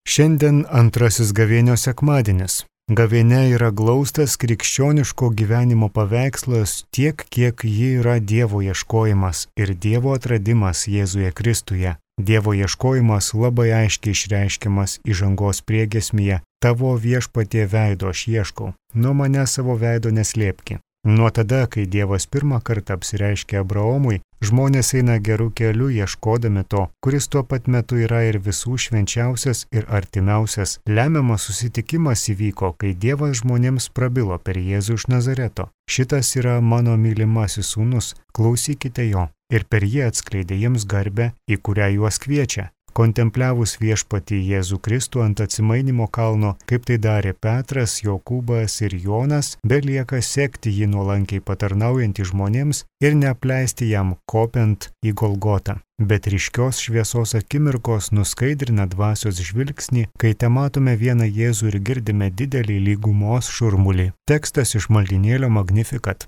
Šiandien antrasis gavėnios sekmadienis. Gavėnia yra glaustas krikščioniško gyvenimo paveikslas tiek, kiek ji yra Dievo ieškojimas ir Dievo atradimas Jėzuje Kristuje. Dievo ieškojimas labai aiškiai išreiškiamas įžangos priegiesmėje: tavo viešpatie veido aš ieškau, nuo mane savo veido neslėpki. Nuo tada, kai Dievas pirmą kartą apsireiškė Abraomui, žmonės eina gerų kelių ieškodami to, kuris tuo pat metu yra ir visų švenčiausias ir artimiausias. Lemiamas susitikimas įvyko, kai Dievas žmonėms prabilo per Jėzų iš Nazareto: šitas yra mano mylimasis sūnus, klausykite jo. Ir per jį atskleidė jiems garbę, į kurią juos kviečia. Kontempliavus viešpatį Jėzų Kristų ant atsimainymo kalno, kaip tai darė Petras, Jokūbas ir Jonas, belieka sekti jį nuolankiai patarnaujantį žmonėms ir neapleisti jam kopiant į Golgotą. Bet ryškios šviesos akimirkos nuskaidrina dvasios žvilgsnį, kai tematome vieną Jėzų ir girdime didelį lygumos šurmulį. Tekstas iš maldynėlio Magnificat.